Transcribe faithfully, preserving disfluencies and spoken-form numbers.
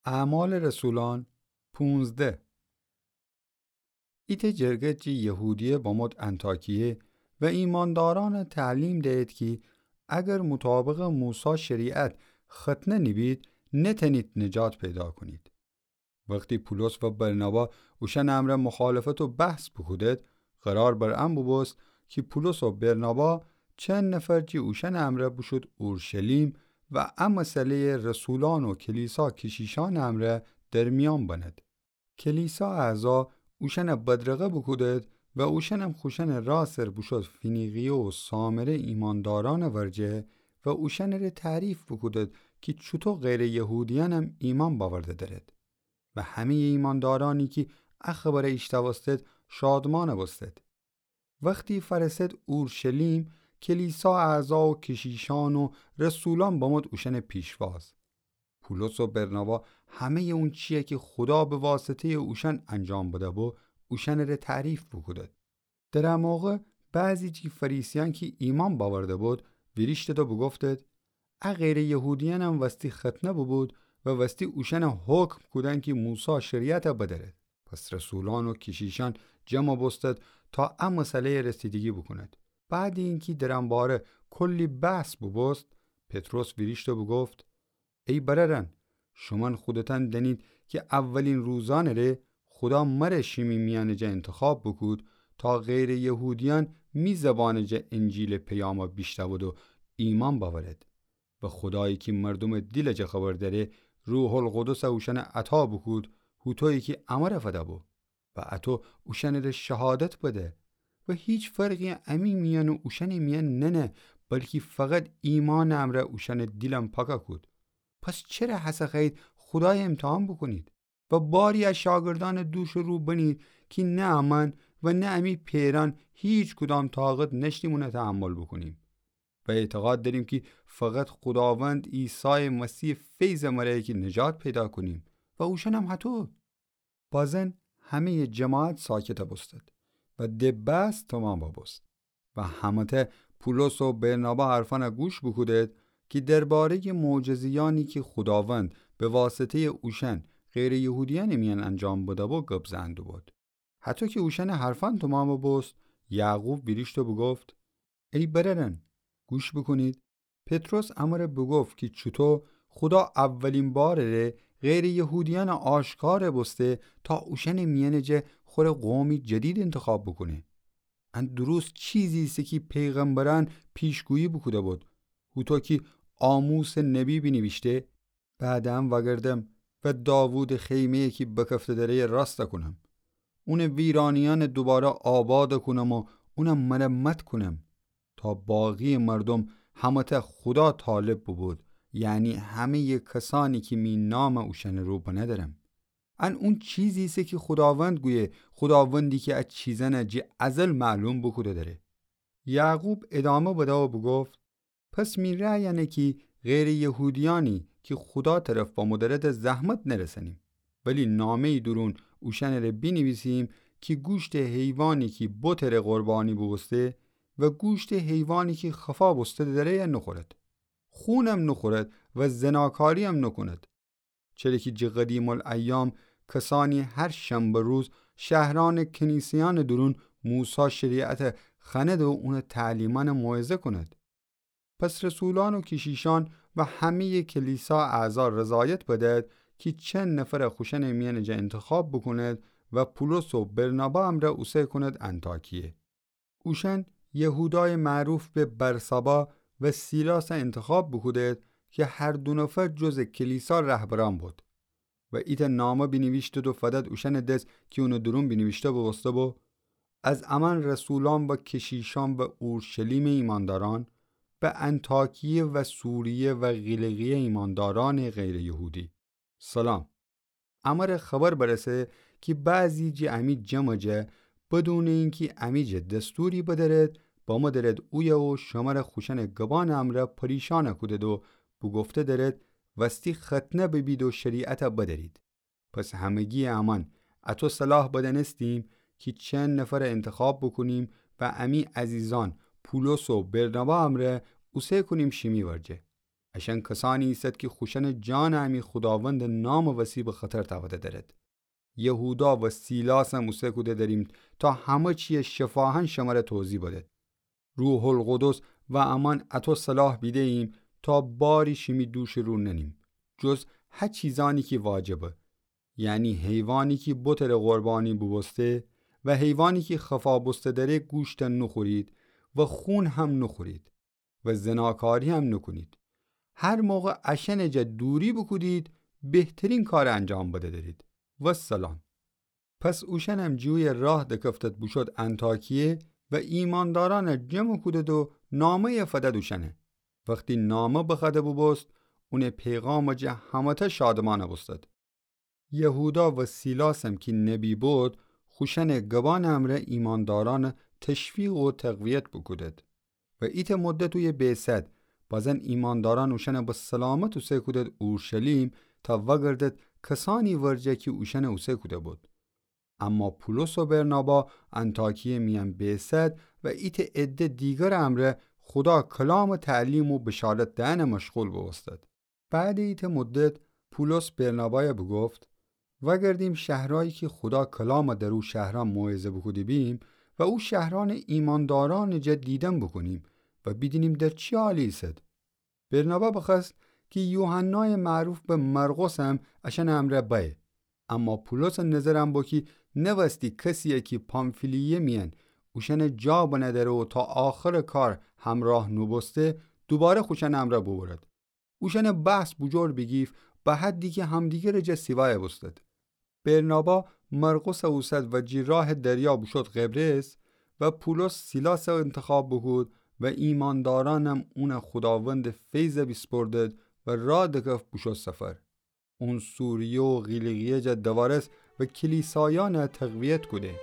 اعمال رسولان پونزده. ایتأ جرگه جٚه یهودیه بمود انطاکیه و ایماندارأنَ تعلیم دهید کی اگر مطابقٚ موسی شریعت ختنه نیبید، نتأنید نجات پیدا کونید. وختی پولس و برنابا اوشأنٚ امرأ مخالفت و بحث بوکودید، قرار بر ان بوبوست کی پولس و برنابا چند نفر جٚه اوشأنٚ امرأ بوشود اورشلیم و ا مسئله‌یَ رسولأن و کلیسا کشیشأنٚ امرأ در میأن بنید. کلیسا اعضا اوشأنَ بدرقه بوکودید و اوشأنم خوشأنٚ راه سر بوشود فینیقیه و سامره ایماندارأنٚ ورجه و اوشأنٚره تعریف بوکودید کی چوطو غیرٚ یهودیأنم ایمأن بأورده درید. و همه‌یٚ ایماندارأنی کی ا خبرَ ایشتأوستید شادمأن بوستید. وختی فأرسید اورشلیم، کلیسا اعضا و کشیشأن و رسولأن بمود اوشأنٚ پیشواز. پولس و برنابا همه‌یٚ اونچی‌یَ کی خودا به واسطه‌یٚ اوشأن انجام بده‌بو، اوشأنٚره تعریف بوکودید. در ا موقع بعضی جٚه فریسیأن کی ایمأن بأورده بود، ویریشتید و بوگفتید: ا غیرٚ یهودیأنم وستی ختنه بوبود و وستی اوشأنَ حکم کودن کی موسی شریعتَ بدأرید. پس رسولأن و کشیشأن جمع بوستید تا ا مسئله‌یَ رسیدگی بوکونید. بعدٚ اینکی در ان باره کلی بحث بوبوست، پطرس ویریشت و بوگفت: ای برأرأن، شومأن خودتأن دأنید کی اولین روزأنٚ ره خودا مره شیمی میأنٚ جا انتخاب بوکود تا غیرٚ یهودیأن می زبانٚ جا انجیلٚ پیامَ بیشنود و ایمأن بأورید. و خودایی کی مردومٚ دیلٚ جا خبر دأره، روح‌القدسَ اوشأنَ عطا بوکود، هوطویی کی امرَ فده‌بو. و اطو اوشأنٚره شهادت بده. و هیچ فرقی امی میأن و اوشأنٚ میأن ننه، بلکی فقط ایمأنٚ امرأ اوشأنٚ دیلم پاکَ کود. پس چره هسه خوأیید خودایَ امتحان بوکونید؟ و باری ا شاگردأنٚ دوشٚ رو بنید کی نه امأن و نه امی پئرأن هیچ کدام طاقت نأشتیم اونَ تحمل بوکونیم. و اعتقاد دأریم کی فقط خوداوند عیسایٚ مسیحٚ فیضٚ امرأیه کی نجات پیدا کونیم و اوشأنم هطو. بازن همه‌یٚ جماعت ساکتَ بوستید و دِ بحث تومامَ بوست. و همه‌تأ پولس و برنابا حرفأنَ گوش بوکودید کی درباره‌یٚ معجزه‌یأنی کی خوداوند به واسطه‌یٚ اوشأن غیرٚ یهودیأنٚ میأن انجام بده‌بو گب زئن دوبود. هطو کی اوشأنٚ حرفأن تومامَ بوست، یعقوب ویریشت و بوگفت: ای برأرأن، گوش بوکونید. پطرس امرَ بوگفت کی چوطو خودا اولین بارٚ ره غیرٚ یهودیأنَ آشکارَ بوسته تا اوشأنٚ میأنٚ جا خوره قومی جدید انتخاب بوکونه. ان درست چیزی ایسه کی پیغمبرأن پیشگویی بوکوده‌بود. هوطو کی آموسٚ نبی بینیویشته: بعد ان وأگردم و داوودٚ خیمه‌یی کی بکفته دره‌یَ راستَ کونم. اونٚ ویرانیأنَ دوباره آبادَ کونم و اونَ مرمت کونم، تا باقی‌یٚ مردوم همه‌تأ خودا طالب بوبود، یعنی همه‌یٚ کسأنی کی می نامَ اوشأنٚ رو بنه دأرم. ان اون چیزی ایسه کی خوداوند گویه، خوداوندی کی ا چیزأنَ جٚه ازل معلوم بوکوده دأره. یعقوب ادامه بده و بوگفت: پس می رأی انه کی غیرٚ یهودیأنی کی خودا طرف بمو دره‌دَ زحمت نرسأنیم، ولی نامه‌یی دورون اوشأنٚ ره بینیویسیم کی گوشتٚ حیوانی کی بتٚ ره قربانی بوبوسته و گوشتٚ حیوانی کی خفا بوسته دره‌یَ نوخورد. خونم نوخورد و زناکاری‌یم نوکوند. چره کی جٚه قدیم‌الایام کسأنی هر شنبه روز شهرأنٚ کنیسه‌یأنٚ دورون موسی شریعتَ خوأند و اونٚ تعلیمأنَ موعظه کوند. پس رسولأن و کشیشأن و همه‌یٚ کلیسا اعضا رضایت بدأد کی چند نفرَ خوشأنٚ میأنٚ جا انتخاب بوکوند و پولس و برنابا امرأ اوسه کوند انطاکیه. اوشأن یهودایٚ معروف به بارسابا و سیلاسَ انتخاب بوکودید کی هر دو نفر جزٚ کلیسا رهبرأن بود. و ایتأ نامه بینیویشتید و فدأد اوشأنٚ دس کی اونٚ دورون بینیویشته بوبوسته‌بو: از امأن رسولأن و کشیشأن و اورشلیمٚ ایمأندارأن، به انطاکیه و سوریه و قیلقیه ایمأندارأنٚ غیرٚ یهودی سلام. امره خبر برسه کی بعضی جٚه امی جمعٚ جا بدونٚ اینکی امی جا دستوری بدأرید، بمو درید اویه و شمره خوشأنٚ گبأنٚ امرأ پریشأن کودید و بوگفته درید وستی ختنه ببید و شریعتَ بدأرید. پس همگی امأن اطو صلاح بدأنستیم کی چند نفرَ انتخاب بوکونیم و امی عزیزأن پولس و برنابا امرأ اوسه کونیم شیمی ورجه. اشأن کسأنی ایسد کی خوشأنٚ جانَ امی خوداوندٚ نامٚ وسی به خطر تأوده دأرد. یهودا و سیلاسم اوسه کوده دأریم تا همه چیَ شفاهأن شمره توضیح بدد. روح‌القدس و امأن اطو صلاح بیده‌ییم تا باری شیمی دوشٚ رو ننیم، جز هه چیزأنی کی واجبه، یعنی حیوانی کی بتٚ ره قربانی بوبوسته و حیوانی کی خفا بوسته دره گوشتَ نوخورید و خون هم نوخورید و زناکاری هم نوکونید. هر موقع اشأنٚ جا دوری بوکودید، بهترین کارَ انجام بده درید. والسلام. پس اوشأنم جویه راه دکفتد بوشد انطاکیه و ایماندارأنَ جمع کودد و نامه‌یَ فدد اوشأنَ. وختی نامه بخوأده بوبوست، اونٚ پیغامٚ جا همه‌تأ شادمأن بوستد. یهودا و سیلاسم کی نبی بود، خوشأنٚ گبأنٚ امرأ ایماندارأنَ تشویق و تقویت بوکودد. و ایتأ مدت اویه بیسد، بازن ایماندارأن اوشأنَ به سلامت اوسه کودد اورشلیم تا وأگردد کسأنی ورجه کی اوشأنَ اوسه کوده بود. اما پولس و برنابا انطاکیه میأن بیسد و ایتأ عده دیگرٚ امرأ خودا کلامٚ تعلیم و بشارت دئنٚ مشغول بوبوستد. بعدٚ ایتأ مدت پولس برنابایَ بوگفت: وأگردیم شهرأیی کی خودا کلامَ در او شهرأن موعظه بوکوده بیم و او شهرأنَ ایماندارأنٚ جا دیدن بوکونیم و بیدینیم در چی حالی ایسد. برنابا بخوأست کی یوحنایٚ معروف به مرقسم اشأنٚ امرأ بأیه. اما پولسٚ نظرم بو کی نوأستی کسیَ کی پامفیلیه میأن اوشأنَ جا بنه دره و تا آخرٚ کار همرأه نوبوسته، دوباره خوشأنٚ امرأ بوبرد. اوشأنٚ بحث بوجور بیگیفت، به حدی کی همدیگرٚ جا سیوایَ بوستد. برنابا مرقسَ اوسد و جی راه دریا بوشد قبرس و پولس سیلاسَ انتخاب بوکود و ایماندارأنم اونَ خوداوندٚ فیضَ بیسپردد و راه دکفت بوشد سفر. اون سوریه و قیلیقیه جا دوارست و کلیسایأنَ تقویت کوده.